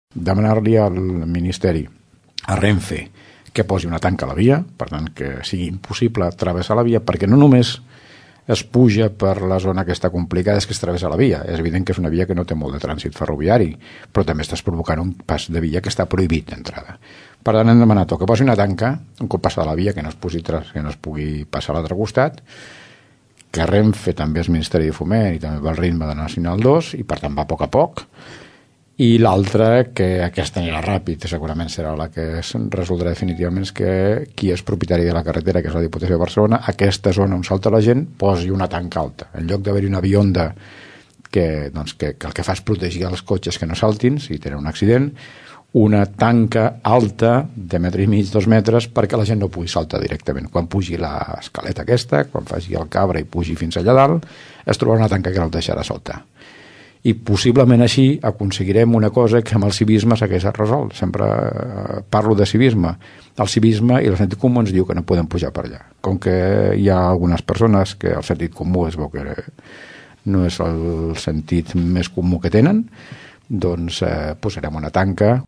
demanar-li al Ministeri, a Renfe, que posi una tanca a la via, per tant que sigui impossible travessar la via, perquè no només es puja per la zona que està complicada, és que es travessa la via. És evident que és una via que no té molt de trànsit ferroviari, però també estàs provocant un pas de via que està prohibit d'entrada. Per tant, hem demanat que posi una tanca, un cop passada la via, que no es pugui passar a l'altre costat, que Renfe també és Ministeri de Foment i també va al ritme de Nacional 2 i per tant va a poc, i l'altra, que aquesta anirà ràpid, segurament serà la que es resoldrà definitivament, és que qui és propietari de la carretera, que és la Diputació de Barcelona, aquesta zona on salta la gent, posi una tanca alta. En lloc d'haver-hi una bionda que el que fa és protegir els cotxes que no saltin si tenen un accident, una tanca alta de 1,5 metres, 2 metres, perquè la gent no pugui saltar directament. Quan pugi l'escaleta aquesta, quan faci el Cabra i pugi fins allà dalt, es trobarà una tanca que no el deixarà saltar. I possiblement així aconseguirem una cosa que amb el civisme s'hagués resolt. Sempre parlo de civisme. El civisme i el sentit comú ens diu que no podem pujar per allà. Com que hi ha algunes persones que el sentit comú es veu que no és el sentit més comú que tenen, doncs posarem una tanca